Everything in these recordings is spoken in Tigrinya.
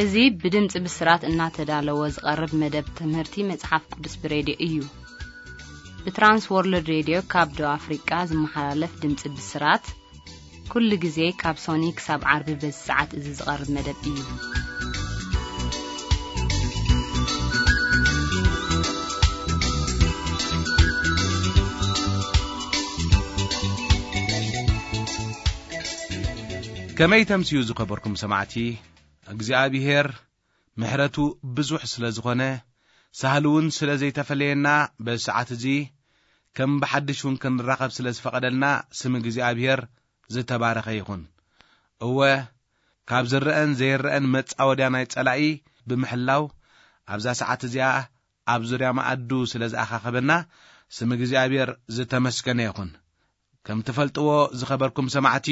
እዚ ብድምፂ ብስራት እናተዳለወ ዝቐርብ መደብ ትምህርቲ መጽሓፍ ቅዱስ ብሬድዮ እዩ። ብትራንስ ወርልድ ሬድዮ ካብ ደቡብ ኣፍሪቃ ዝመሓላለፍ ድምፂ ብስራት፣ ኩሉ ግዜ ካብ ሶኒ ክሳብ ዓርቢ በዚ ሰዓት እዚ ዝቐርብ መደብ እዩ። ከመይ ተምስዩ ዝኸበርኩም ሰማዕቲ፣ እግዚኣብሔር ምሕረቱ ብዙሕ ስለ ዝኾነ፣ ሳህሉ እውን ስለ ዘይተፈለየና፣ በዚ ሰዓት እዚ ከም ብሓድሽ እውን ክንራኸብ ስለ ዝፈቐደልና፣ ስም እግዚኣብሔር ዝተባረኸ ይኹን። እወ፣ ካብ ዝረአን ዘይረአን መጻወድያ ናይ ጸላኢ ብምሕላው፣ ኣብዛ ሰዓት እዚኣ ኣብ ዙርያ መኣዱ ስለ ዝኣኻኸበና፣ ስም እግዚኣብሔር ዝተመስገነ ይኹን። ከም ትፈልጥዎ ዝኸበርኩም ሰማዕቲ፣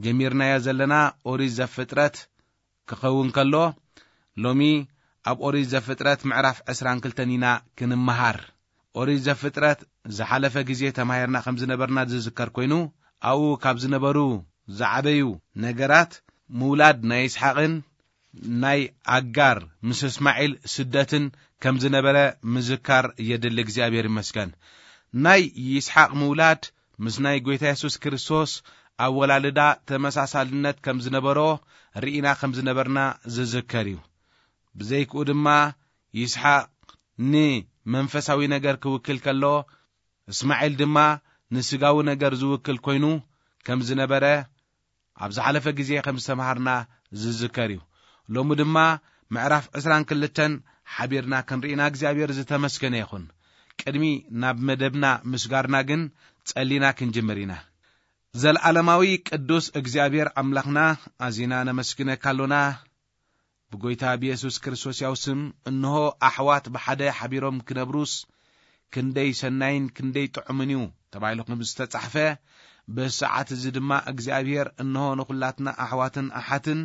ጀሚርናዮ ዘለና ኦሪት ዘፍጥረት ክኸውን ከሎ፣ ሎሚ ኣብ ኦሪት ዘፍጥረት ምዕራፍ ዕስራን ክልተን ኢና ክንመሃር። ኦሪት ዘፍጥረት ዝሓለፈ ግዜ ተማሂርና ከም ዝነበርና ዝዝከር ኮይኑ፣ ኣብኡ ካብ ዝነበሩ ዝዓበዩ ነገራት፣ ምውላድ ናይ ይስሓቕን ናይ ኣጋር ምስ እስማዒል ስደትን ከም ዝነበረ ምዝካር የድሊ። እግዚኣብሔር ይመስገን። ናይ ይስሓቕ ምውላድ ምስ ናይ ጐይታ የሱስ ክርስቶስ ኣወላልዳ ተመሳሳልነት ከም ዝነበሮ ርኢና ከም ዝነበርና ዝዝከር እዩ። ብዘይክኡ ድማ ይስሓቕ ንመንፈሳዊ ነገር ክውክል ከሎ፣ እስማዒል ድማ ንስጋዊ ነገር ዝውክል ኮይኑ ከም ዝነበረ ኣብ ዝሓለፈ ግዜ ከም ዝተምሃርና ዝዝከር እዩ። ሎሚ ድማ ምዕራፍ ዕስራን ክልተን ሓቢርና ክንርኢና እግዚኣብሔር ዝተመስገነ ይኹን። ቅድሚ ናብ መደብና ምስጋርና ግን ጸሊና ክንጅምር ኢና። ዘለዓለማዊ ቅዱስ እግዚኣብሔር ኣምላኽና፣ ኣዚና ነመስግነካ ኣሎና። ብጎይታ ብየሱስ ክርስቶስ ያው ስም፣ እንሆ ኣሕዋት ብሓደ ሓቢሮም ክነብሩስ ክንደይ ሰናይን ክንደይ ጥዑምን እዩ ተባሂሉ ከም ዝተጻሕፈ፣ በዚ ሰዓት እዚ ድማ እግዚኣብሔር እንሆ ንኹላትና ኣሕዋትን ኣሓትን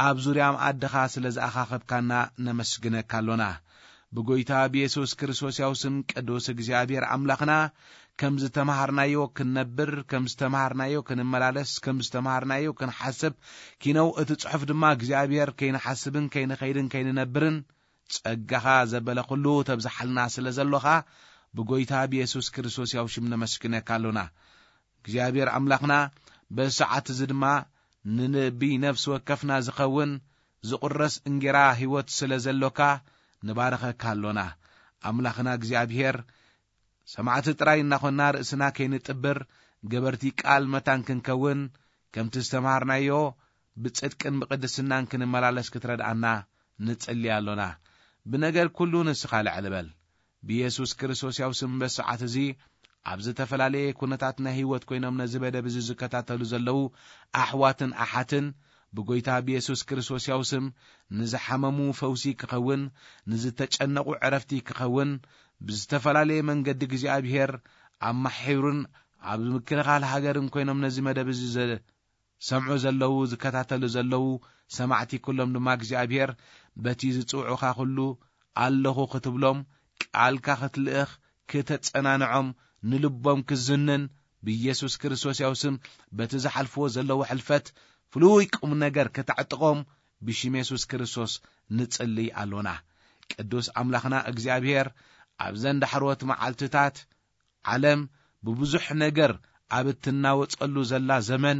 ኣብ ዙርያ መኣድኻ ስለ ዝኣኻኸብካና ነመስግነካ ኣሎና። ብጎይታ ብየሱስ ክርስቶስ ያው ስም ቅዱስ እግዚኣብሔር ኣምላኽና፣ ከም ዝተምሃርናዮ ክንነብር፣ ከም ዝተምሃርናዮ ክንመላለስ፣ ከም ዝተምሃርናዮ ክንሓስብ፣ ኪነው እቲ ጽሑፍ ድማ እግዚኣብሔር ከይንሓስብን ከይንኸይድን ከይንነብርን ጸጋኻ ዘበለ ኩሉ ተብዝሓልና ስለ ዘሎኻ፣ ብጎይታ ብየሱስ ክርስቶስ ያው ሽም ነመስግነካ ኣሎና። እግዚኣብሔር ኣምላኽና፣ በዚ ሰዓት እዚ ድማ ንነቢ ነፍሲ ወከፍና ዝኸውን ዝቑረስ እንጌራ ህይወት ስለ ዘሎካ ንባርኸካ ኣሎና። ኣምላኽና እግዚኣብሔር፣ ሰማዕቲ ጥራይ እናኾንና ርእስና ከይንጥብር፣ ገበርቲ ቃል መታን ክንከውን፣ ከምቲ ዝተምሃርናዮ ብጽድቅን ብቕድስናን ክንመላለስ ክትረድኣና ንጽሊ ኣሎና። ብነገር ኩሉ ንስኻ ልዕል በል። ብየሱስ ክርስቶስ ያው ስም በዚ ሰዓት እዚ ኣብ ዝተፈላለየ ኩነታት ናይ ህይወት ኮይኖም ነዚ መደብ እዚ ዝከታተሉ ዘለዉ ኣሕዋትን ኣሓትን፣ ብጎይታ ብየሱስ ክርስቶስ ያው ስም ንዝሓመሙ ፈውሲ ክኸውን፣ ንዝተጨነቑ ዕረፍቲ ክኸውን፣ ብዝተፈላለየ መንገዲ እግዚኣብሔር ኣማሒሩን ኣብ ምክልኻል ሃገርን ኮይኖም ነዚ መደብ እዚ ዘ-፣ ሰምዑ ዘለዉ፣ ዝከታተሉ ዘለዉ ሰማዕቲ ኩሎም ድማ እግዚኣብሔር በቲ ዝጽውዑኻ ኩሉ ኣለኹ ክትብሎም፣ ቃልካ ክትልእኽ፣ ክተጸናንዖም፣ ንልቦም ክዝንን፣ ብኢየሱስ ክርስቶስ ያው ስም በቲ ዝሓልፍዎ ዘለዉ ሕልፈት ፍሉይ ቁም ነገር ከተዕጥቖም ብሽም የሱስ ክርስቶስ ንጽልይ ኣሎና። ቅዱስ ኣምላኽና እግዚኣብሔር፣ ኣብዘን ዳሕሮት መዓልትታት ዓለም ብብዙሕ ነገር ኣብ እትናወጸሉ ዘላ ዘመን፣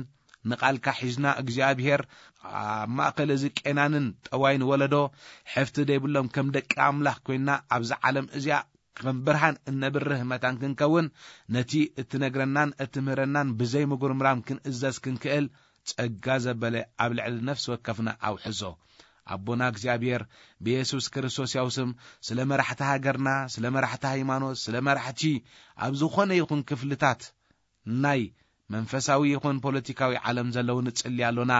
ንቓልካ ሒዝና እግዚኣብሔር ኣብ ማእከል እዚ ቄናንን ጠዋይን ወለዶ፣ ሕፍቲ ዘይብሎም ከም ደቂ ኣምላኽ ኮይንና ኣብዛ ዓለም እዚኣ ከም ብርሃን እነብርህ መታን ክንከውን፣ ነቲ እትነግረናን እትምህረናን ብዘይ ምጉርምራም ክንእዘዝ ክንክእል፣ ጸጋ ዘበለ ኣብ ልዕሊ ነፍሲ ወከፍና ኣውሕዞ። ኣቦና እግዚኣብሔር፣ ብየሱስ ክርስቶስ ያው ስም፣ ስለ መራሕቲ ሃገርና፣ ስለ መራሕቲ ሃይማኖት፣ ስለ መራሕቲ ኣብ ዝኾነ ይኹን ክፍልታት ናይ መንፈሳዊ ይኹን ፖለቲካዊ ዓለም ዘለዉ ንጽሊ ኣሎና።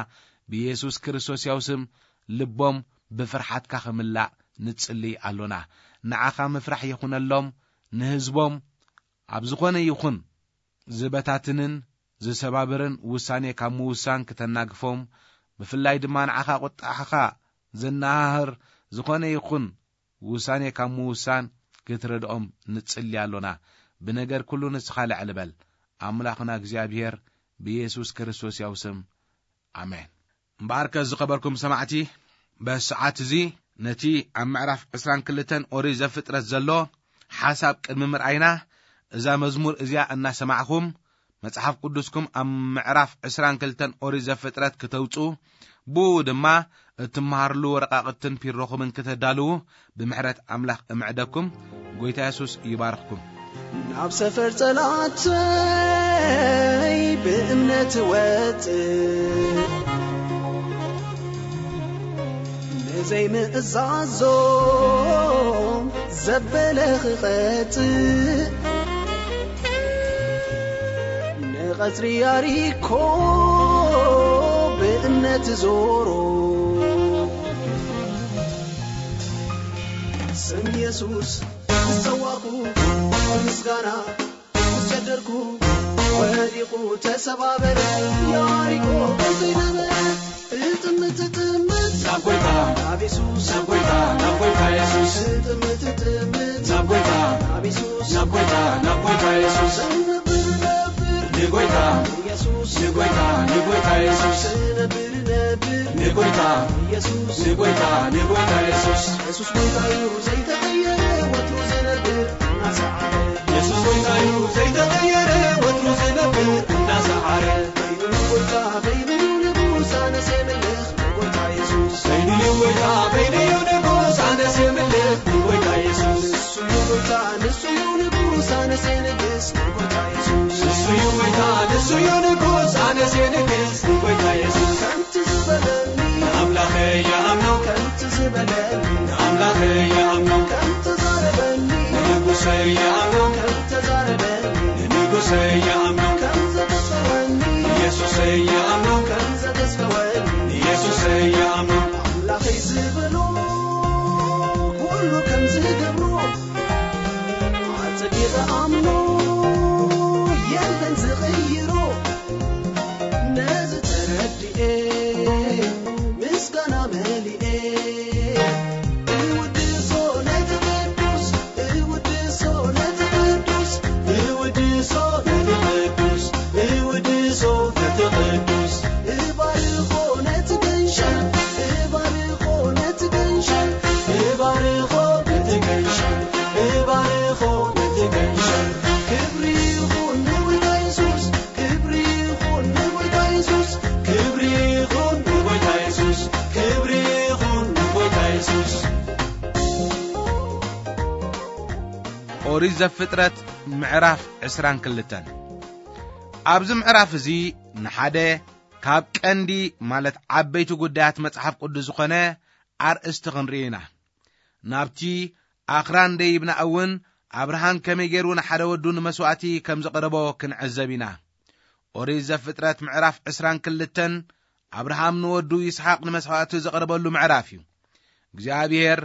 ብየሱስ ክርስቶስ ያው ስም ልቦም ብፍርሓትካ ክምላእ ንጽሊ ኣሎና። ንዓኻ ምፍራሕ ይኹነሎም። ንህዝቦም ኣብ ዝኾነ ይኹን ዝበታትንን ዝሰባብርን ውሳኔ ካብ ምውሳን ክተናግፎም፣ ብፍላይ ድማ ንዓኻ ቁጣዕኻ ዘነሃህር ዝኾነ ይኹን ውሳኔ ካብ ምውሳን ክትረድኦም ንጽሊ ኣሎና። ብነገር ኩሉ ንስኻ ልዕል በል። ኣምላኽና እግዚኣብሔር ብየሱስ ክርስቶስ ያው ስም፣ ኣሜን። እምበኣርከ ዝኸበርኩም ሰማዕቲ፣ በዚ ሰዓት እዚ ነቲ ኣብ ምዕራፍ ዕስራን ክልተን ኦሪት ዘፍጥረት ዘሎ ሓሳብ ቅድሚ ምርኣይና፣ እዛ መዝሙር እዚኣ እናሰማዕኹም መጽሓፍ ቅዱስኩም ኣብ ምዕራፍ ዕስራን ክልተን ኦሪት ዘፍጥረት ክተውጽኡ፣ ብኡ ድማ እትመሃርሉ ወረቃቕትን ፒሮኹምን ክተዳልዉ ብምሕረት ኣምላኽ እምዕደኩም። ጎይታ የሱስ ይባርኽኩም። ናብ ሰፈር ጸላእተይ ብእምነት ወጽእ፣ ንዘይምእዛዞም ዘበለ ክቐጽእ፣ ንቐጽሪ ያሪኮ ብእምነት ዞሮ። ስም የሱስ ዝጸዋዕኩ ምስጋና ምስ ጨደርኩ፣ ወዲቑ ተሰባበረ ያሪኮ ዘይነበረ። ትጥምት ትጥምት ናብ ጎይታ፣ ናብ የሱስ፣ ናብ ጎይታ፣ ናብ ጎይታ የሱስ። ትጥምት ትጥምት ናብ ጎይታ፣ ናብ የሱስ፣ ናብ ጎይታ፣ ናብ ጎይታ የሱስ። ነብር ነብር ንጎይታ፣ የሱስ፣ ንጎይታ፣ ንጎይታ የሱስ። ነብር ነብር ንጎይታ፣ የሱስ፣ ንጎይታ፣ ንጎይታ የሱስ። የሱስ ጎይታ እዩ ዘይተቐየረ ወትሩ ዝነብር እናሰዓረ። የሱስ ጎይታ እዩ ዘይተቐየረ ወትሩ ዝነብር እናሰዓረ። በይኑ እዩ ጎይታ፣ በይኑ እዩ ንጉስ፣ ኣነስ የምልኽ ንጎይታ የሱስ። በይኑ እዩ ጎይታ፣ በይኑ እዩ ንጉስ፣ ኣነስ የምልኽ ንጎይታ የሱስ። ንሱ እዩ ጎይታ፣ ንሱ እዩ ንጉስ፣ ኣነስ የንግስ ንጎይታ የሱስ። ንሱ እዩ ጎይታ፣ ንሱ እዩ ንጉስ፣ ኣነስ የንግስ ንጎይታ የሱስ። ከምቲ ዝበለኒ ንኣምላኸይ ይኣምኖ፣ ከምቲ ዝበለኒ ንኣምላኸይ ይኣምኖ፣ ከምቲ ተዛረበኒ ንንጉሰይ ይኣምኖ፣ ከምቲ ተዛረበኒ ንንጉሰይ ይኣምኖ፣ ከምቲ ዘተስፈወኒ ንየሱሰይ ይኣምኖ፣ ከምቲ ዘተስፈወኒ ንየሱሰይ ይኣምኖ። ኣምላኸይ ዝበሎ ኩሉ ከም ዝገብሮ ኣጸቢቐ ኣምኖ፣ የለን ዝቕይሮ። ነዚ ተረዲኤ ምስጋና መሊኤ፣ እውድሶ ነቲ ቅዱስ፣ እውድሶ ነቲ ቅዱስ፣ እውድሶ ነቲ ቅዱስ፣ እውድሶ ነቲ ቅዱስ። እባርኾ ነቲ ገንሸል፣ እባርኾ ነቲ ገንሸል፣ እባርኾ ነቲ ገንሸል፣ እባርኾ ነቲ ገንሸል። ክብሪ ይኹን ንጎይታ የሱስ፣ ክብሪ ይኹን ንጎይታ የሱስ፣ ክብሪ ይኹን ንጎይታ የሱስ፣ ክብሪ ይኹን ንጎይታ የሱስ። ኦሪት ዘፍጥረት ምዕራፍ ዕስራን ክልተን። ኣብዚ ምዕራፍ እዚ ንሓደ ካብ ቀንዲ ማለት ዓበይቲ ጉዳያት መጽሓፍ ቅዱስ ዝኾነ ኣርእስቲ ክንርኢ ኢና። ናብቲ ኣኽራን ደይብና እውን ኣብርሃም ከመይ ገይሩ ንሓደ ወዱ ንመስዋእቲ ከም ዘቕረቦ ክንዕዘብ ኢና። ኦሪት ዘፍጥረት ምዕራፍ ዕስራን ክልተን ኣብርሃም ንወዱ ይስሓቅ ንመስዋእቲ ዘቕረበሉ ምዕራፍ እዩ። እግዚኣብሔር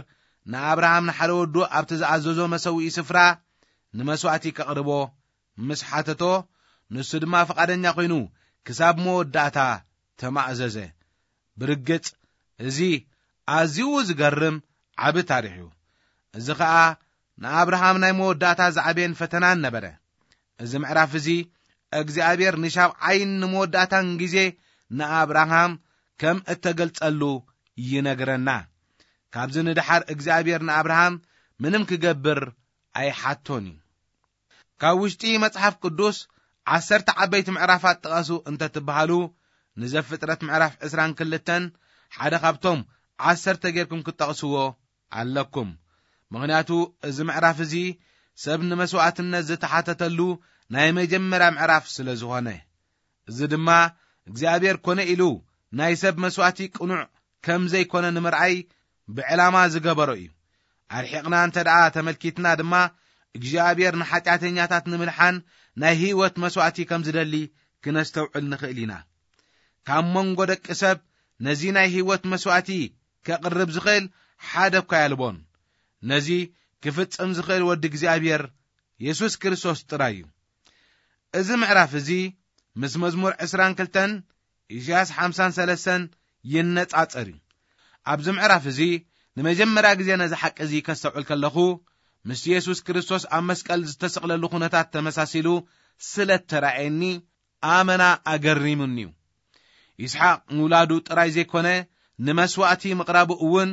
ንኣብርሃም ንሓደ ወዱ ኣብቲ ዝኣዘዞ መሰውኢ ስፍራ ንመስዋእቲ ከቕርቦ ምስ ሓተቶ፣ ንሱ ድማ ፍቓደኛ ኮይኑ ክሳብ መወዳእታ ተማእዘዘ። ብርግጽ እዚ ኣዝዩ ዝገርም ዓቢ ታሪኽ እዩ። እዚ ኸኣ ንኣብርሃም ናይ መወዳእታ ዝዓበየን ፈተናን ነበረ። እዚ ምዕራፍ እዚ እግዚኣብሔር ንሻብዓይን ንመወዳእታን ግዜ ንኣብርሃም ከም እተገልጸሉ ይነግረና። ካብዚ ንደሓር እግዚኣብሔር ንኣብርሃም ምንም ክገብር ኣይሓቶን እዩ። ካብ ውሽጢ መጽሓፍ ቅዱስ ዓሰርተ ዓበይቲ ምዕራፋት ጥቐሱ እንተትበሃሉ፣ ንዘፍጥረት ምዕራፍ ዕስራን ክልተን ሓደ ካብቶም ዓሰርተ ጌርኩም ክትጠቕስዎ ኣለኩም። ምኽንያቱ እዚ ምዕራፍ እዚ ሰብ ንመስዋእትነት ዝተሓተተሉ ናይ መጀመርያ ምዕራፍ ስለ ዝኾነ። እዚ ድማ እግዚኣብሔር ኮነ ኢሉ ናይ ሰብ መስዋእቲ ቅኑዕ ከም ዘይኮነ ንምርኣይ ብዕላማ ዝገበሮ እዩ። ኣርሒቕና እንተ ደኣ ተመልኪትና ድማ እግዚኣብሔር ንሓጢኣተኛታት ንምድሓን ናይ ህይወት መስዋእቲ ከም ዝደሊ ክነስተውዕል ንኽእል ኢና። ካብ መንጎ ደቂ ሰብ ነዚ ናይ ህይወት መስዋእቲ ከቕርብ ዝኽእል ሓደ እኳ የልቦን። ነዚ ክፍጽም ዝኽእል ወዲ እግዚኣብሔር የሱስ ክርስቶስ ጥራይ እዩ። እዚ ምዕራፍ እዚ ምስ መዝሙር ዕስራን ክልተን ኢሳያስ ሓምሳን ሰለስተን ይነጻጸር እዩ። ኣብዚ ምዕራፍ እዚ ንመጀመርያ ግዜ ነዚ ሓቂ እዚ ከስተውዕል ከለኹ፣ ምስ የሱስ ክርስቶስ ኣብ መስቀል ዝተሰቕለሉ ኩነታት ተመሳሲሉ ስለ እተራእየኒ ኣመና ኣገሪሙኒ እዩ። ይስሓቅ ምውላዱ ጥራይ ዘይኮነ፣ ንመስዋእቲ ምቕራቡ እውን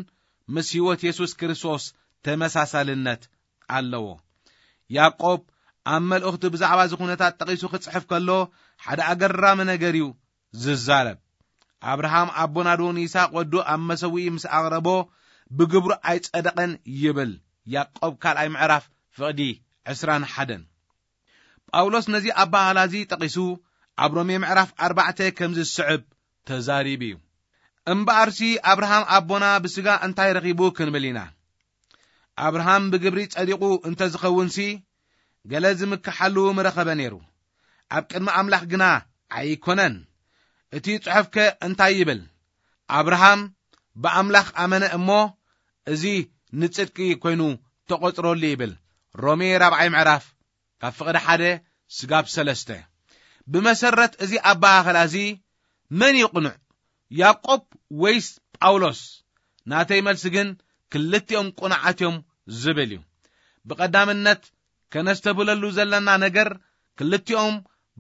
ምስ ህይወት የሱስ ክርስቶስ ተመሳሳልነት ኣለዎ። ያዕቆብ ኣብ መልእኽቱ ብዛዕባ እዚ ኩነታት ጠቒሱ ክጽሕፍ ከሎ ሓደ ኣገራሚ ነገር እዩ ዝዛረብ። ኣብርሃም ኣቦና ዶ ንይስሐቅ ወዱ ኣብ መሰውኢ ምስ ኣቕረቦ ብግብሩ ኣይጸደቐን ይብል። ያዕቆብ ካልኣይ ምዕራፍ ፍቕዲ ዕስራን ሓደን። ጳውሎስ ነዚ ኣባህላ እዚ ጠቒሱ ኣብ ሮሜ ምዕራፍ ኣርባዕተ ከምዚ ዝስዕብ ተዛሪቡ እዩ። እምበኣርሲ ኣብርሃም ኣቦና ብስጋ እንታይ ረኺቡ ክንብል ኢና? ኣብርሃም ብግብሪ ጸዲቑ እንተ ዝኸውንሲ፣ ገለ ዝምክሓሉ ምረኸበ ነይሩ። ኣብ ቅድሚ ኣምላኽ ግና ኣይኮነን። እቲ ጽሑፍከ እንታይ ይብል? ኣብርሃም ብኣምላኽ ኣመነ እሞ፣ እዚ ንጽድቂ ኮይኑ ተቖጽረሉ ይብል። ሮሜ ራብዓይ ምዕራፍ ካብ ፍቕዲ ሓደ ስጋብ ሰለስተ። ብመሰረት እዚ ኣበሃህላ እዚ መን እዩ ቅኑዕ? ያዕቆብ ወይስ ጳውሎስ? ናተይ መልሲ ግን ክልቲኦም ቅኑዓት እዮም ዝብል እዩ። ብቐዳምነት ከነስተብህለሉ ዘለና ነገር፣ ክልቲኦም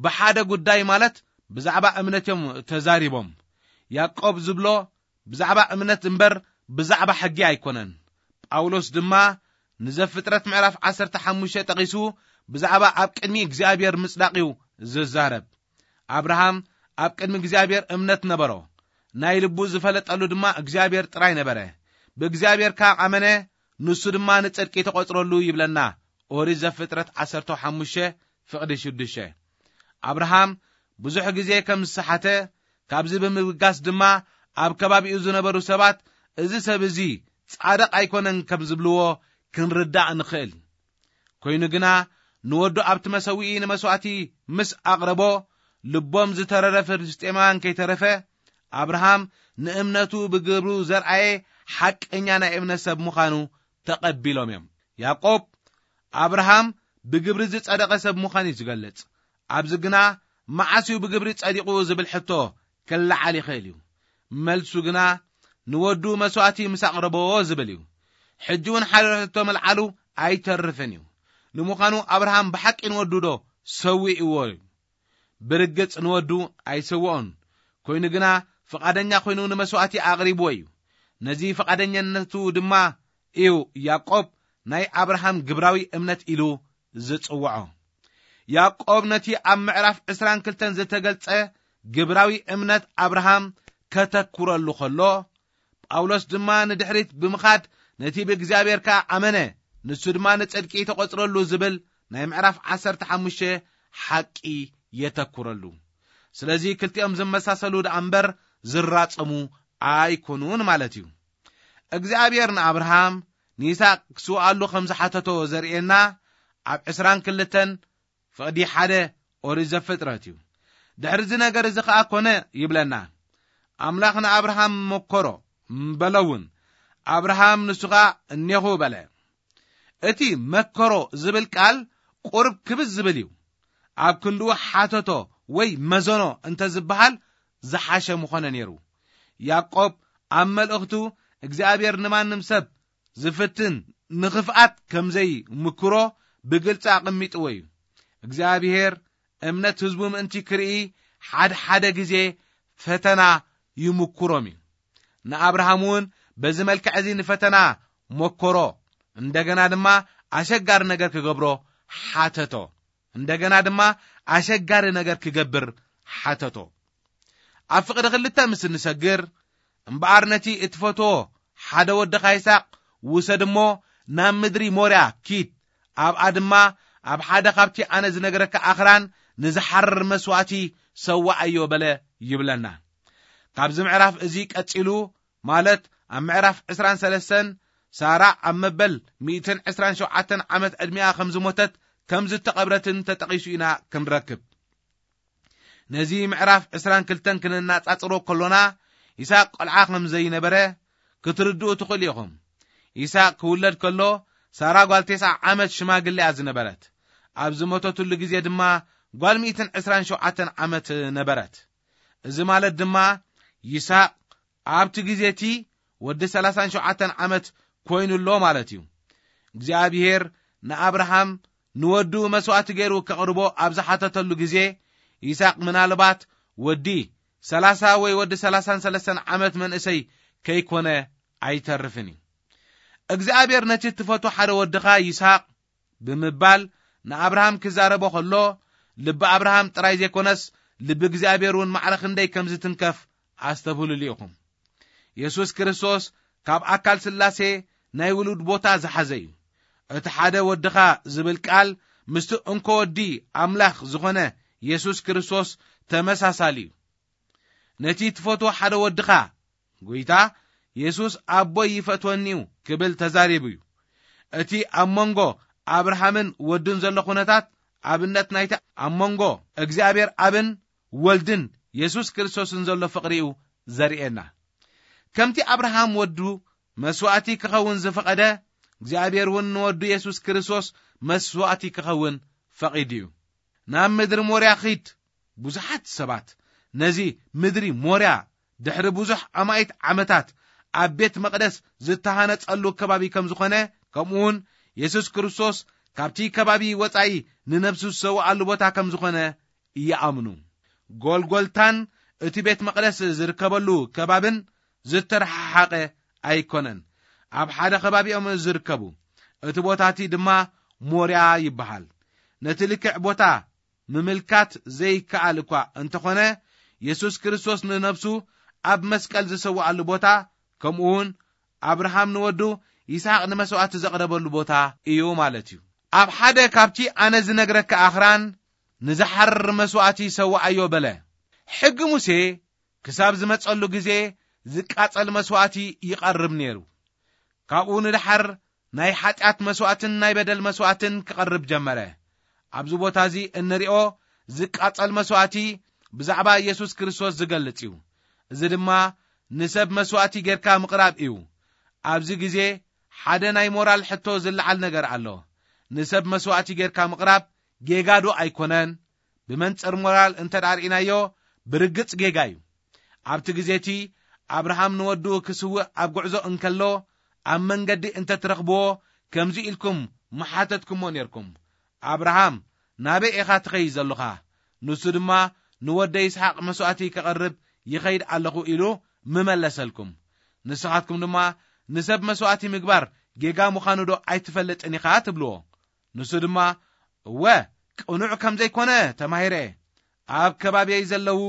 ብሓደ ጉዳይ፣ ማለት ብዛዕባ እምነት እዮም ተዛሪቦም። ያዕቆብ ዝብሎ ብዛዕባ እምነት እምበር ብዛዕባ ሕጊ ኣይኮነን። ጳውሎስ ድማ ንዘፍጥረት ምዕራፍ ዓሰርተ ሓሙሽተ ጠቒሱ ብዛዕባ ኣብ ቅድሚ እግዚኣብሔር ምጽዳቕ እዩ ዝዛረብ። ኣብርሃም ኣብ ቅድሚ እግዚኣብሔር እምነት ነበሮ። ናይ ልቡ ዝፈለጠሉ ድማ እግዚኣብሔር ጥራይ ነበረ። ብእግዚኣብሔር ከኣ ኣመነ፣ ንሱ ድማ ንጽድቂ ተቖጽረሉ ይብለና። ኦሪት ዘፍጥረት ዓሰርተ ሓሙሽተ ፍቕዲ ሽዱሽተ። ኣብርሃም ብዙሕ ግዜ ከም ዝሰሓተ፣ ካብዚ ብምብጋስ ድማ ኣብ ከባቢኡ ዝነበሩ ሰባት፣ "እዚ ሰብ እዚ ጻድቕ ኣይኮነን" ከም ዝብልዎ ክንርዳእ ንኽእል። ኮይኑ ግና፣ ንወዱ ኣብቲ መሰውኢ ንመስዋእቲ ምስ ኣቕረቦ፣ ልቦም ዝተረረ ፍልስጤማውያን ከይተረፈ፣ ኣብርሃም ንእምነቱ ብግብሩ ዘርኣየ ሓቀኛ ናይ እምነት ሰብ ምዃኑ ተቐቢሎም እዮም። ያዕቆብ ኣብርሃም ብግብሪ ዝጸደቐ ሰብ ምዃኑ እዩ ዝገልጽ። ኣብዚ ግና፣ "መዓስ እዩ ብግብሪ ጸዲቑ?" ዝብል ሕቶ ክለዓል ይኽእል እዩ። መልሱ ግና፣ "ንወዱ መስዋእቲ ምስ ኣቕረቦ" ዝብል እዩ። ሕጂ እውን ሓደ ሕቶ ምልዓሉ ኣይተርፍን እዩ። ንምዃኑ ኣብርሃም ብሓቂ ንወዱ ዶ ሰዊእዎ እዩ? ብርግጽ ንወዱ ኣይሰውኦን። ኮይኑ ግና፣ ፍቓደኛ ኮይኑ ንመስዋእቲ ኣቕሪብዎ እዩ። ነዚ ፍቓደኛነቱ ድማ እዩ ያዕቆብ ናይ ኣብርሃም ግብራዊ እምነት ኢሉ ዝጽውዖ። ያዕቆብ ነቲ ኣብ ምዕራፍ ዕስራን ክልተን ዝተገልጸ ግብራዊ እምነት ኣብርሃም ከተኩረሉ ከሎ፣ ጳውሎስ ድማ ንድሕሪት ብምኻድ፣ "ነቲ ብእግዚኣብሔር ከኣ ኣመነ፣ ንሱ ድማ ንጽድቂ ተቖጽረሉ" ዝብል ናይ ምዕራፍ ዓሰርተ ሓሙሽተ ሓቂ የተኩረሉ። ስለዚ ክልቲኦም ዝመሳሰሉ ደኣ እምበር ዝራጸሙ ኣይኮኑን ማለት እዩ። እግዚኣብሔር ንኣብርሃም ንይስሐቅ ክስውኣሉ ከም ዝሓተቶ ዘርእየና ኣብ ዕስራን ክልተን ፍቕዲ ሓደ ኦሪት ዘፍጥረት እዩ። ድሕሪ እዚ ነገር እዚ ኸኣ ኮነ ይብለና። ኣምላኽ ንኣብርሃም መኮሮ በሎ እውን። ኣብርሃም ንሱ ኸኣ እኔኹ በለ። እቲ መከሮ ዝብል ቃል ቁርብ ክብዝ ዝብል እዩ። ኣብ ክንድኡ ሓተቶ ወይ መዘኖ እንተ ዝበሃል ዝሓሸ ምኾነ ነይሩ። ያዕቆብ ኣብ መልእኽቱ እግዚኣብሔር ንማንም ሰብ ዝፍትን ንኽፍኣት ከም ዘይምክሮ ብግልጺ ኣቐሚጥዎ እዩ። እግዚኣብሔር እምነት ህዝቡ ምእንቲ ክርኢ ሓደ ሓደ ግዜ ፈተና ይምክሮም እዩ። ንኣብርሃም እውን በዚ መልክዕ እዚ ንፈተና መኮሮ። እንደገና ድማ ኣሸጋሪ ነገር ክገብሮ ሓተቶ። እንደገና ድማ ኣሸጋሪ ነገር ክገብር ሓተቶ። ኣብ ፍቕዲ ክልተ ምስ እንሰግር፣ "እምበኣር ነቲ እትፈትዎ ሓደ ወድኻ ይስሐቅ ውሰድ እሞ ናብ ምድሪ ሞርያ ኪድ፣ ኣብኣ ድማ ኣብ ሓደ ካብቲ ኣነ ዝነግረካ ኣኽራን ንዝሓርር መስዋእቲ ሰዋኣዮ" በለ ይብለና። ካብዚ ምዕራፍ እዚ ቀጺሉ፣ ማለት ኣብ ምዕራፍ ዕስራን ሰለስተን፣ ሳራ ኣብ መበል ሚእትን ዕስራን ሸውዓተን ዓመት ዕድሚኣ ከም ዝሞተት ከም ዝተቐብረትን ተጠቒሱ ኢና ክንረክብ። ነዚ ምዕራፍ ዕስራን ክልተን ክነነጻጽሮ ከሎና፣ ይስሐቅ ቆልዓ ከም ዘይነበረ ክትርድኡ ትኽእሉ ኢኹም። ይስሐቅ ክውለድ ከሎ፣ ሳራ ጓል ተስዓ ዓመት ሽማግለ እያ ዝነበረት። ኣብ ዝሞተትሉ ግዜ ድማ ጓል ሚእትን ዕስራን ሸውዓተን ዓመት ነበረት። እዚ ማለት ድማ፣ ይስሐቅ ኣብቲ ግዜ እቲ ወዲ ሰላሳን ሸውዓተን ዓመት ኮይኑ ኣሎ ማለት እዩ። እግዚኣብሔር ንኣብርሃም ንወዱ መስዋእቲ ገይሩ ከቕርቦ ኣብ ዝሓተተሉ ግዜ፣ ይስሐቅ ምናልባት ወዲ ሰላሳ ወይ ወዲ ሰላሳን ሰለስተን ዓመት መንእሰይ ከይኮነ ኣይተርፍን እዩ። እግዚኣብሔር ነቲ ትፈቱ ሓደ ወድኻ ይስሐቅ ብምባል ንኣብርሃም ክዛረቦ ከሎ፣ ልቢ ኣብርሃም ጥራይ ዘይኮነስ ልቢ እግዚኣብሔር እውን ማዕረ ክንደይ ከም ዝትንከፍ ኣስተብህሉሉ ኢኹም። የሱስ ክርስቶስ ካብ ኣካል ስላሴ ናይ ውሉድ ቦታ ዝሓዘ እዩ። እቲ ሓደ ወድኻ ዝብል ቃል ምስቲ እንኮ ወዲ ኣምላኽ ዝኾነ የሱስ ክርስቶስ ተመሳሳሊ እዩ። ነቲ ትፈትዎ ሓደ ወድኻ፣ ጎይታ የሱስ ኣቦይ ይፈትወኒ እዩ ክብል ተዛሪቡ እዩ። እቲ ኣብ መንጎ ኣብርሃምን ወድን ዘሎ ኩነታት ኣብነት ናይቲ ኣብ መንጎ እግዚኣብሔር ኣብን ወልድን የሱስ ክርስቶስን ዘሎ ፍቕሪ እዩ ዘርእየና። ከምቲ ኣብርሃም ወዱ መስዋእቲ ክኸውን ዝፈቐደ፣ እግዚኣብሔር እውን ንወዱ የሱስ ክርስቶስ መስዋእቲ ክኸውን ፈቒዱ እዩ። ናብ ምድሪ ሞርያ ኺድ። ብዙሓት ሰባት ነዚ ምድሪ ሞርያ ድሕሪ ብዙሕ ኣማኢት ዓመታት ኣብ ቤት መቕደስ ዝተሃነጸሉ ከባቢ ከም ዝኾነ፣ ከምኡውን የሱስ ክርስቶስ ካብቲ ከባቢ ወጻኢ ንነብሱ ዝሰውኣሉ ቦታ ከም ዝኾነ ይኣምኑ። ጎልጎልታን እቲ ቤት መቕደስ ዝርከበሉ ከባብን ዝተረሓሓቐ ኣይኮነን። ኣብ ሓደ ከባቢ እዮም ዝርከቡ። እቲ ቦታ እቲ ድማ ሞርያ ይበሃል። ነቲ ልክዕ ቦታ ምምልካት ዘይከኣል እኳ እንተኾነ፣ የሱስ ክርስቶስ ንነብሱ ኣብ መስቀል ዝሰውኣሉ ቦታ፣ ከምኡውን ኣብርሃም ንወዱ ይስሐቅ ንመስዋእቲ ዘቕረበሉ ቦታ እዩ ማለት እዩ። ኣብ ሓደ ካብቲ ኣነ ዝነግረካ ኣኽራን ንዝሓርር መስዋእቲ ሰውኣዮ በለ። ሕጊ ሙሴ ክሳብ ዝመጸሉ ግዜ ዝቃጸል መስዋእቲ ይቐርብ ነይሩ። ካብኡ ንድሓር ናይ ሓጢኣት መስዋእትን ናይ በደል መስዋእትን ክቐርብ ጀመረ። ኣብዚ ቦታ እዚ እንሪኦ ዝቃጸል መስዋእቲ ብዛዕባ የሱስ ክርስቶስ ዝገልጽ እዩ። እዚ ድማ ንሰብ መስዋእቲ ጌርካ ምቕራብ እዩ። ኣብዚ ግዜ ሓደ ናይ ሞራል ሕቶ ዝለዓል ነገር ኣሎ። ንሰብ መስዋእቲ ጌርካ ምቕራብ ጌጋ ዶ ኣይኮነን? ብመንጽር ሞራል እንተ ደኣ ርኢናዮ፣ ብርግጽ ጌጋ እዩ። ኣብቲ ግዜ እቲ ኣብርሃም ንወዱ ክስውእ ኣብ ጉዕዞ እንከሎ፣ ኣብ መንገዲ እንተ ትረኽብዎ፣ ከምዚ ኢልኩም ምሓተትኩሞ ኔርኩም፣ "ኣብርሃም፣ ናበይ ኢኻ ትኸይድ ዘሎኻ?" ንሱ ድማ፣ "ንወደይ ይስሓቅ መስዋእቲ ከቐርብ ይኸይድ ኣለኹ" ኢሉ ምመለሰልኩም። ንስኻትኩም ድማ፣ "ንሰብ መስዋእቲ ምግባር ጌጋ ምዃኑ ዶ ኣይትፈልጥን ኢኻ?" ትብልዎ። ንሱ ድማ፣ "እወ፣ ቅኑዕ ከም ዘይኮነ ተማሂረ እየ። ኣብ ከባቢየይ ዘለዉ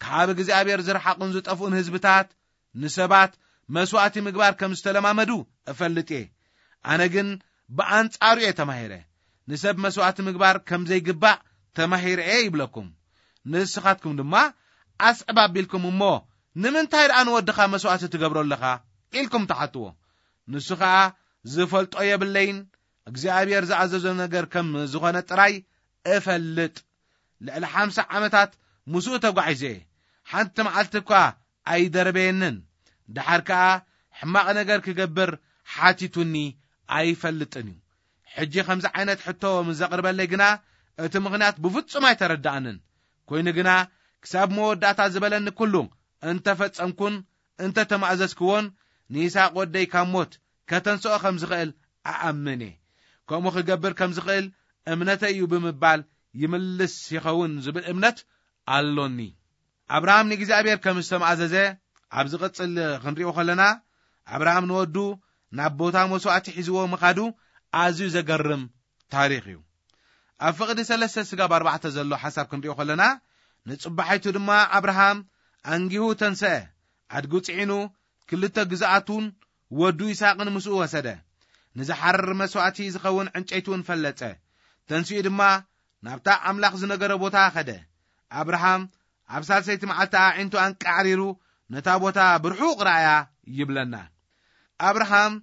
ካብ እግዚኣብሔር ዝረሓቑን ዝጠፍኡን ህዝብታት ንሰባት መስዋእቲ ምግባር ከም ዝተለማመዱ እፈልጥ እየ። ኣነ ግን ብኣንጻሩ እየ ተማሂረ። ንሰብ መስዋእቲ ምግባር ከም ዘይግባእ ተማሂረ እየ" ይብለኩም። ንስኻትኩም ድማ ኣስዕብ ኣቢልኩም፣ "እሞ ንምንታይ ደኣ ንወድኻ መስዋእቲ ትገብሮ ኣለኻ?" ኢልኩም ትሓትዎ። ንሱ ኸኣ፣ "ዝፈልጦ የብለይን፣ እግዚኣብሔር ዝኣዘዞ ነገር ከም ዝኾነ ጥራይ እፈልጥ። ልዕሊ ሓምሳ ዓመታት ምስኡ ተጓዒዘ እየ። ሓንቲ መዓልቲ እኳ ኣይደረበየንን። ደሓር ከኣ ሕማቕ ነገር ክገብር ሓቲቱኒ ኣይፈልጥን እዩ። ሕጂ ከምዚ ዓይነት ሕቶ ምስ ዘቕርበለይ ግና፣ እቲ ምኽንያት ብፍጹም ኣይተረድኣንን። ኮይኑ ግና፣ ክሳብ መወዳእታ ዝበለኒ ኩሉ እንተ ፈጸምኩን እንተ ተማእዘዝክዎን፣ ንይስሓቅ ወደይ ካብ ሞት ከተንስኦ ከም ዝኽእል እኣምን እየ። ከምኡ ክገብር ከም ዝኽእል እምነተይ እዩ" ብምባል ይምልስ ይኸውን ዝብል እምነት ኣሎኒ። ኣብርሃም ንእግዚኣብሔር ከም ዝተማእዘዘ ኣብ ዝቕጽል ክንሪኦ ከለና፣ ኣብርሃም ንወዱ ናብ ቦታ መስዋእቲ ሒዝዎ ምኻዱ ኣዝዩ ዘገርም ታሪኽ እዩ። ኣብ ፍቕዲ ሰለስተ ስጋብ ኣርባዕተ ዘሎ ሓሳብ ክንሪኦ ከለና፣ ንጽባሒቱ ድማ ኣብርሃም ኣንጊሁ ተንስአ፣ ኣድጉ ጽዒኑ፣ ክልተ ግዝኣቱን ወዱ ይስሓቅን ምስኡ ወሰደ። ንዝሓርር መስዋእቲ ዝኸውን ዕንጨይቲ እውን ፈለጸ። ተንሲኡ ድማ ናብታ ኣምላኽ ዝነገረ ቦታ ኸደ። ኣብርሃም ኣብ ሳልሰይቲ መዓልቲ ኣዒንቱ ኣንቃዕሪሩ ነታ ቦታ ብርሑቕ ረኣያ ይብለና። ኣብርሃም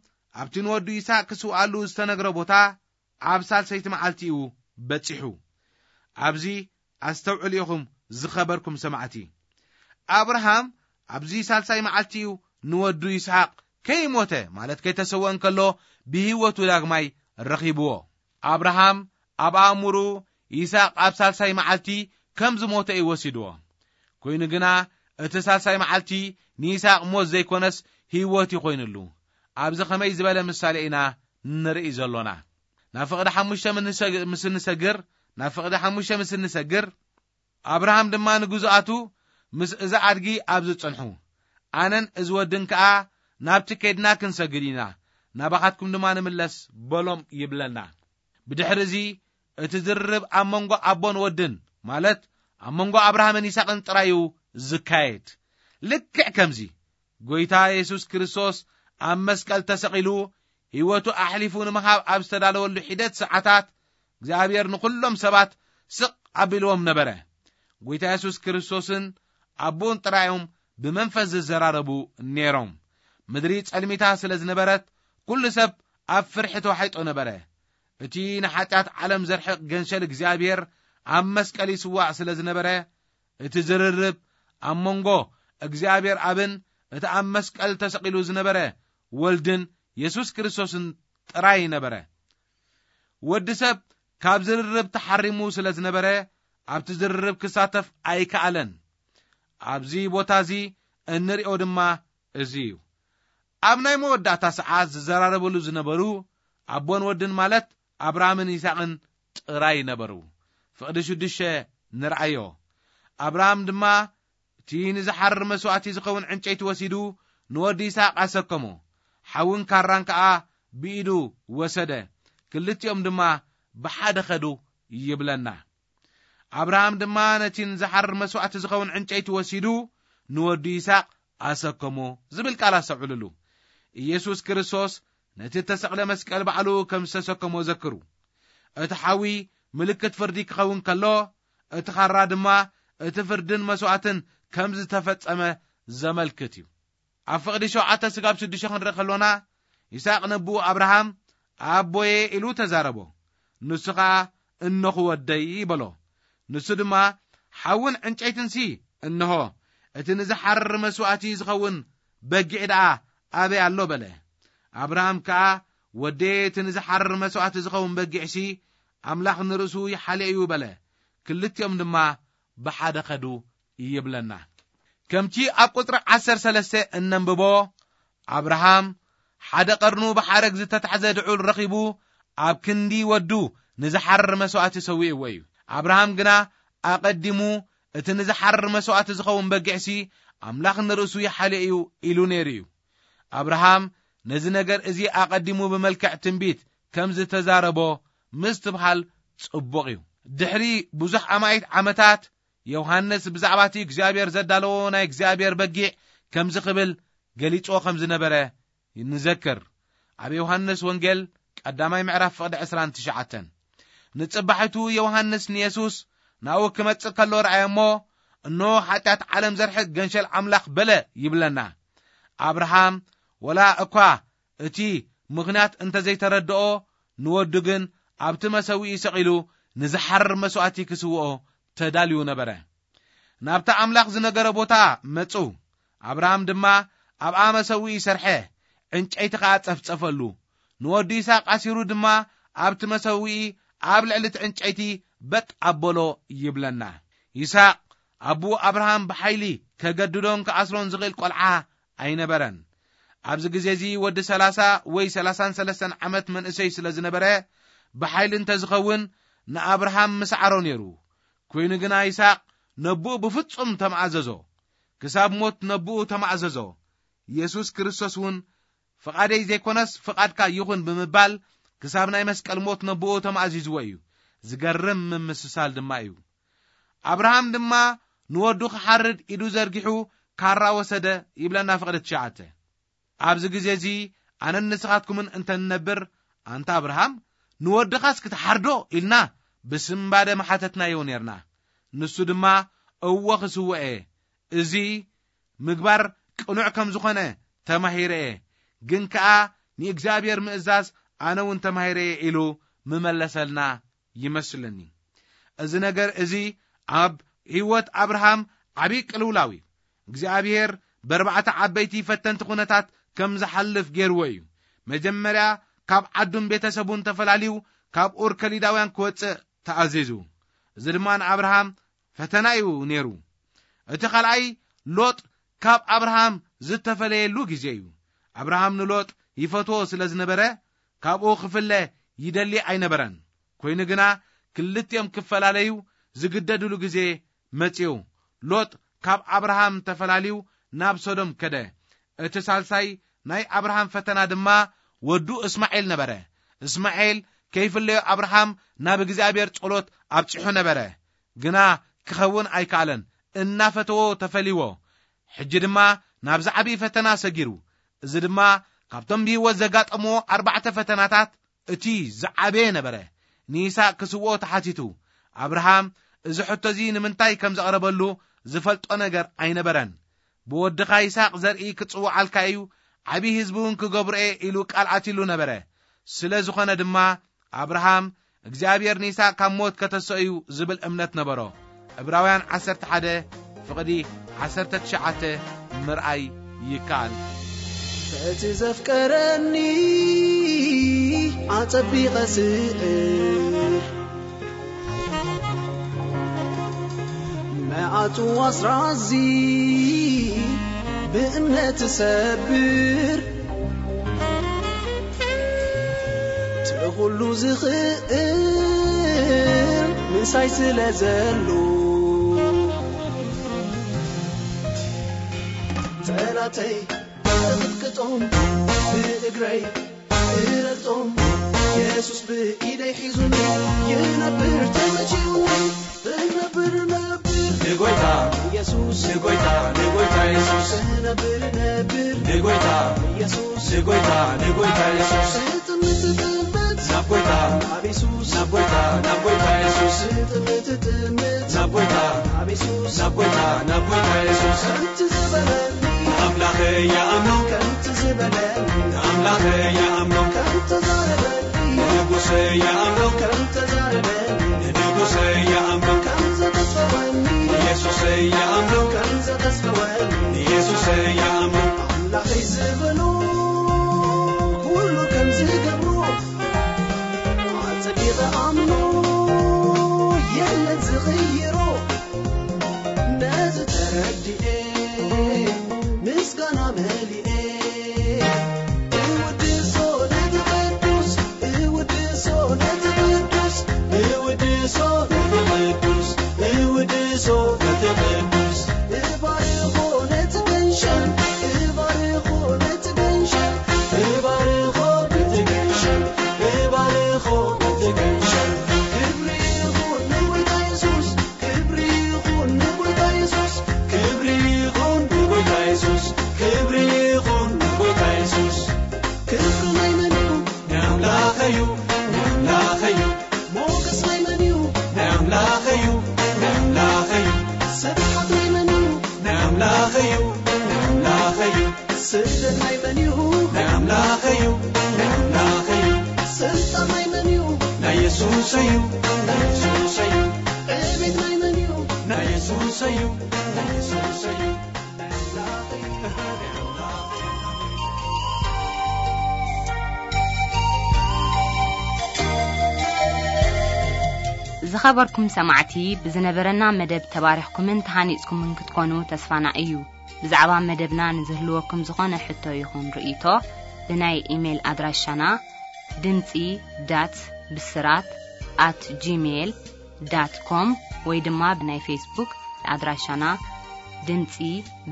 ኣብቲ ንወዱ ይስሓቅ ክስውኣሉ ዝተነግረ ቦታ ኣብ ሳልሰይቲ መዓልቲ እዩ በጺሑ። ኣብዚ ኣስተውዕሉ ኢኹም ዝኸበርኩም ሰማዕቲ። ኣብርሃም ኣብዚ ሳልሳይ መዓልቲ እዩ ንወዱ ይስሓቅ ከይሞተ፣ ማለት ከይተሰወ እንከሎ፣ ብህይወቱ ዳግማይ ረኺብዎ። ኣብርሃም ኣብ ኣእምሩ ይስሓቅ ኣብ ሳልሳይ መዓልቲ ከም ዝሞተ እዩ ወሲድዎ። ኮይኑ ግና እቲ ሳልሳይ መዓልቲ ንይስሓቅ ሞት ዘይኮነስ ህይወት እዩ ኮይኑሉ። ኣብዚ ከመይ ዝበለ ምሳሌ ኢና ንርኢ ዘሎና? ናብ ፍቕዲ ሓሙሽተ ምስ ንሰግ-፣ ምስ እንሰግር፣ ናብ ፍቕዲ ሓሙሽተ ምስ እንሰግር፣ ኣብርሃም ድማ ንግዙኣቱ ምስ እዛ ኣድጊ ኣብዚ ጽንሑ፣ ኣነን እዚ ወድን ከኣ ናብቲ ከይድና ክንሰግድ ኢና፣ ናባኻትኩም ድማ ንምለስ በሎም ይብለና። ብድሕሪ እዚ እቲ ዝርርብ ኣብ መንጎ ኣቦን ወድን፣ ማለት ኣብ መንጎ ኣብርሃምን ይስሐቅን ጥራይ እዩ ዝካየድ። ልክዕ ከምዚ ጎይታ የሱስ ክርስቶስ ኣብ መስቀል ተሰቒሉ ህይወቱ ኣሕሊፉ ንምሃብ ኣብ ዝተዳለወሉ ሒደት ሰዓታት፣ እግዚኣብሔር ንኹሎም ሰባት ስቕ ኣቢልዎም ነበረ። ጎይታ የሱስ ክርስቶስን ኣቦን ጥራዮም ብመንፈስ ዝዘራረቡ ነይሮም። ምድሪ ጸልሚታ ስለ ዝነበረት፣ ኩሉ ሰብ ኣብ ፍርሒ ተዋሒጦ ነበረ። እቲ ንሓጢኣት ዓለም ዘርሕቕ ገንሸል እግዚኣብሔር ኣብ መስቀል ይስዋዕ ስለ ዝነበረ፣ እቲ ዝርርብ ኣብ መንጎ እግዚኣብሔር ኣብን እቲ ኣብ መስቀል ተሰቒሉ ዝነበረ ወልድን የሱስ ክርስቶስን ጥራይ ነበረ። ወዲ ሰብ ካብ ዝርርብ ተሓሪሙ ስለ ዝነበረ፣ ኣብቲ ዝርርብ ክሳተፍ ኣይከኣለን። ኣብዚ ቦታ እዚ እንሪኦ ድማ እዚ እዩ። ኣብ ናይ መወዳእታ ሰዓት ዝዘራረብሉ ዝነበሩ ኣቦን ወድን፣ ማለት ኣብርሃምን ይስሐቅን ጥራይ ነበሩ። ፍቕዲ ሽዱሽተ ንርኣዮ። ኣብርሃም ድማ እቲ ንዝሓርር መስዋእቲ ዝኸውን ዕንጨይቲ ወሲዱ ንወዲ ይስሐቅ ኣሰከሞ። ሓውን ካራን ከኣ ብኢዱ ወሰደ። ክልቲኦም ድማ ብሓደ ኸዱ ይብለና። ኣብርሃም ድማ ነቲ ንዝሓርር መስዋእቲ ዝኸውን ዕንጨይቲ ወሲዱ ንወዱ ይስሐቅ ኣሰከሞ ዝብል ቃል ኣስተውዕልሉ። ኢየሱስ ክርስቶስ ነቲ እተሰቕለ መስቀል ባዕሉ ከም ዝተሰከሞ ዘክሩ። እቲ ሓዊ ምልክት ፍርዲ ክኸውን ከሎ፣ እቲ ኻራ ድማ እቲ ፍርድን መስዋእትን ከም ዝተፈጸመ ዘመልክት እዩ። ኣብ ፍቕዲ ሸውዓተ ስጋብ ሽዱሽተ ክንርኢ ከሎና፣ ይስሐቅ ነቦኡ ኣብርሃም፣ "ኣቦየ" ኢሉ ተዛረቦ። ንሱ ኸኣ፣ "እነኹ ወደይ" በሎ። ንሱ ድማ፣ "ሓውን ዕንጨይትንሲ እንሆ፣ እቲ ንዝሓርር መስዋእቲ ዝኸውን በጊዕ ደኣ ኣበይ ኣሎ?" በለ። ኣብርሃም ከኣ፣ "ወደየ፣ እቲ ንዝሓርር መስዋእቲ ዝኸውን በጊዕሲ ኣምላኽ ንርእሱ ይሓልዮ እዩ" በለ። ክልቲኦም ድማ ብሓደ ኸዱ ይብለና። ከምቲ ኣብ ቁጽሪ ዓሰርተ ሰለስተ እነንብቦ፣ ኣብርሃም ሓደ ቀርኑ ብሓረግ ዝተታሕዘ ድዑል ረኺቡ ኣብ ክንዲ ወዱ ንዝሓርር መስዋእቲ ሰዊእዎ እዩ። ኣብርሃም ግና ኣቐዲሙ፣ "እቲ ንዝሓርር መስዋእቲ ዝኸውን በጊዕሲ ኣምላኽ ንርእሱ ይሓልዮ እዩ" ኢሉ ነይሩ እዩ። ኣብርሃም ነዚ ነገር እዚ ኣቐዲሙ ብመልክዕ ትንቢት ከም ዝተዛረቦ ምስትብሃል ጽቡቕ እዩ። ድሕሪ ብዙሕ ኣማኢት ዓመታት፣ ዮሃንስ ብዛዕባ እቲ እግዚኣብሔር ዘዳለዎ ናይ እግዚኣብሔር በጊዕ ከምዚ ክብል ገሊጽዎ ከም ዝነበረ ንዘክር። ኣብ ዮሃንስ ወንጌል ቀዳማይ ምዕራፍ ፍቕዲ ዕስራን ትሽዓተን፣ ንጽባሒቱ ዮሃንስ ንየሱስ ናብኡ ክመጽእ ከሎ ረኣየ እሞ፣ "እንሆ፣ ሓጢኣት ዓለም ዘርሕቕ ገንሸል ኣምላኽ" በለ ይብለና። ኣብርሃም ወላ እኳ እቲ ምኽንያት እንተ ዘይተረድኦ፣ ንወዱ ግን ኣብቲ መሰውኢ ሰቒሉ ንዝሓርር መስዋእቲ ክስውኦ ተዳልዩ ነበረ። ናብቲ ኣምላኽ ዝነገረ ቦታ መጹ። ኣብርሃም ድማ ኣብኣ መሰውኢ ሰርሐ፣ ዕንጨይቲ ኸኣ ጸፍጸፈሉ። ንወዱ ይስሐቅ ኣሲሩ ድማ ኣብቲ መሰውኢ ኣብ ልዕሊ እቲ ዕንጨይቲ በጥ ኣበሎ ይብለና። ይስሐቅ ኣቦኡ ኣብርሃም ብሓይሊ ከገድዶን ክኣስሮን ዝኽእል ቈልዓ ኣይነበረን። ኣብዚ ግዜ እዚ ወዲ ሰላሳ ወይ ሰላሳን ሰለስተን ዓመት መንእሰይ ስለ ዝነበረ፣ ብሓይሊ እንተ ዝኸውን ንኣብርሃም ምስዓሮ ነይሩ። ኮይኑ ግና ይስሐቅ ነቦኡ ብፍጹም ተማእዘዞ። ክሳብ ሞት ነቦኡ ተማእዘዞ። የሱስ ክርስቶስ እውን፣ "ፍቓደይ ዘይኮነስ ፍቓድካ ይኹን" ብምባል ክሳብ ናይ መስቀል ሞት ነቦኡ ተማእዚዝዎ እዩ። ዝገርም ምምስሳል ድማ እዩ። ኣብርሃም ድማ ንወዱ ክሓርድ ኢዱ ዘርጊሑ ካራ ወሰደ ይብለና ፍቕዲ ትሽዓተ። ኣብዚ ግዜ እዚ ኣነን ንስኻትኩምን እንተ ንነብር፣ "ኣንታ ኣብርሃም፣ ንወድኻስ ክትሓርዶ?" ኢልና ብስንባደ ምሓተትናዮ ኔርና። ንሱ ድማ "እወ ክስውኦ እየ፣ እዚ ምግባር ቅኑዕ ከም ዝኾነ ተማሂረ እየ፣ ግን ከኣ ንእግዚኣብሔር ምእዛዝ ኣነ እውን ተማሂረ እየ" ኢሉ ምመለሰልና ይመስለኒ። እዚ ነገር እዚ ኣብ ህይወት ኣብርሃም ዓብዪ ቅልውላው እዩ። እግዚኣብሔር በርባዕተ ዓበይቲ ፈተንቲ ኩነታት ከም ዝሓልፍ ገይርዎ እዩ። መጀመርያ ካብ ዓዱን ቤተሰቡን ተፈላልዩ ካብ ኡር ከሊዳውያን ክወጽእ ተኣዚዙ። እዚ ድማ ንኣብርሃም ፈተና እዩ ነይሩ። እቲ ካልኣይ ሎጥ ካብ ኣብርሃም ዝተፈለየሉ ግዜ እዩ። ኣብርሃም ንሎጥ ይፈትዎ ስለ ዝነበረ ካብኡ ክፍለ ይደሊ ኣይነበረን። ኮይኑ ግና ክልቲኦም ክፈላለዩ ዝግደድሉ ግዜ መጺኡ። ሎጥ ካብ ኣብርሃም ተፈላልዩ ናብ ሶዶም ከደ። እቲ ሳልሳይ ናይ ኣብርሃም ፈተና ድማ ወዱ እስማኤል ነበረ። እስማኤል ከይፍለዮ ኣብርሃም ናብ እግዚኣብሔር ጸሎት ኣብጺሑ ነበረ፣ ግና ክኸውን ኣይከኣለን። እናፈተዎ ተፈልይዎ። ሕጂ ድማ ናብ ዝዓቢ ፈተና ሰጊሩ። እዚ ድማ ካብቶም ብህይወት ዘጋጠምዎ ኣርባዕተ ፈተናታት እቲ ዝዓበየ ነበረ። ንይስሐቅ ክስውኦ ተሓቲቱ። ኣብርሃም እዚ ሕቶ እዚ ንምንታይ ከም ዘቕረበሉ ዝፈልጦ ነገር ኣይነበረን። "ብወድኻ ይስሐቅ ዘርኢ ክጽውዓልካ እዩ፣ ዓቢ ህዝቢ እውን ክገብሮ እየ" ኢሉ ቃል ኣትይሉ ነበረ። ስለ ዝኾነ ድማ ኣብርሃም እግዚኣብሔር ንይስሐቅ ካብ ሞት ከተስኦ እዩ ዝብል እምነት ነበሮ። ዕብራውያን ዓሰርተ ሓደ ፍቕዲ ዓሰርተ ትሽዓተ ምርኣይ ይከኣል። በቲ ዘፍቀረኒ ኣጸቢቐ ስዕር፣ መዓቱ ኣስራዚ ብእምነት ሰብር፣ እቲ ኩሉ ዝኽእል ምሳይ ስለ ዘሎ፣ ጸላተይ እቕጥቅጦም፣ ብእግረይ እረግጦም፣ የሱስ ብኢደይ ሒዙኒ፣ ይነብር ተመቺውኒ፣ እነብር ነብር ንጎይታ ኢየሱስ፣ ንጎይታ፣ ንጎይታ ኢየሱስ፣ እነብር ነብር ንጎይታ ኢየሱስ፣ ንጎይታ፣ ንጎይታ ኢየሱስ። ትጥምት፣ ትጥምት ናብ ጎይታ፣ ናብ የሱስ፣ ናብ ጎይታ፣ ናብ ጎይታ ኢየሱስ። ትጥምት፣ ትጥምት ናብ ጎይታ፣ ናብ የሱስ፣ ናብ ጎይታ፣ ናብ ጎይታ ኢየሱስ። ከምቲ ዝበለኒ ኣምላኸ ይኣምኖ፣ ከምቲ ዝበለኒ ኣምላኸ ይኣምኖ፣ ከምተዛረበኒ ንጉሰ ይኣምኖ፣ ከምተዛረበኒ ንጉሰ ይኣምኖ፣ ከምዘተስፈወኒ ኢየሱስ ይኣምኖ፣ ከምዘተስፈወኒ ኢየሱስ ይኣምኖ። ኣምላኸይ ዝበሎ ኩሉ ከም ዝገብሮ ኣጸቢቐ ኣምኖ፣ የለን ዝቕይሮ። ነዚ ተረዲኤ ምስጋና መሊኤ፣ እውድሶ ነቲ ቅዱስ፣ እውድሶ ነቲ ቅዱስ፣ እውድሶ ነቲ ቅዱስ፣ እውድሶ ነቲ ቅዱስ። እባርኾ ነቲ ገንሸል፣ እባርኾ ነቲ ገንሸል፣ እባርኾ ነቲ ገንሸል፣ እባርኾ ነቲ ገንሸል። ክብሪ ይኹን ንጎይታ የሱስ፣ ክብሪ ይኹን ንጎይታ የሱስ፣ ክብሪ ይኹን ንጎይታ የሱስ፣ ክብሪ ይኹን ንጎይታ የሱስ። ክብሪ ናይ መን እዩ? ናይ ኣምላኸ እዩ፣ ናይ ኣምላኸ እዩ። ሞገስ ናይ መን እዩ? ናይ ኣምላኸ እዩ፣ ናይ ኣምላኸ እዩ። ስብሓት ናይ መን እዩ? ናይ ኣምላኸ እዩ፣ ናይ ኣምላኸ እዩ። ስእለት ናይ መን እዩ? ናይ ኣምላኸ እዩ፣ ናይ ኣምላኸ እዩ። ስልጣን ናይ መን እዩ? ናይ የሱስ እዩ፣ ናይ የሱስ እዩ። ዕቤት ናይ መን እዩ? ናይ የሱስ እዩ፣ ናይ የሱስ እዩ። ናይ ኣምላኸ እዩ፣ ናይ ኣምላኸ እዩ። ዝኸበርኩም ሰማዕቲ፣ ብዝነበረና መደብ ተባሪኽኩምን ተሃኒጽኩምን ክትኮኑ ተስፋና እዩ። ብዛዕባ መደብና ንዝህልወኩም ዝኾነ ሕቶ ይኹን ርእይቶ፣ ብናይ ኢሜይል ኣድራሻና ድምጺ ዳት ብስራት ኣት ጂሜይል ዳት ኮም ወይ ድማ ብናይ ፌስቡክ ኣድራሻና ድምጺ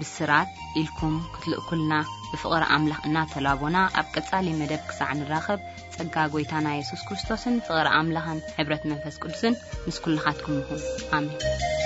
ብስራት ኢልኩም ክትልእኩልና ብፍቕሪ ኣምላኽ እናተላቦና፣ ኣብ ቀጻሊ መደብ ክሳዕ ንራኸብ፣ ጸጋ ጐይታና የሱስ ክርስቶስን ፍቕሪ ኣምላኽን ሕብረት መንፈስ ቅዱስን ምስ ኩልኻትኩም ይኹን። ኣሜን።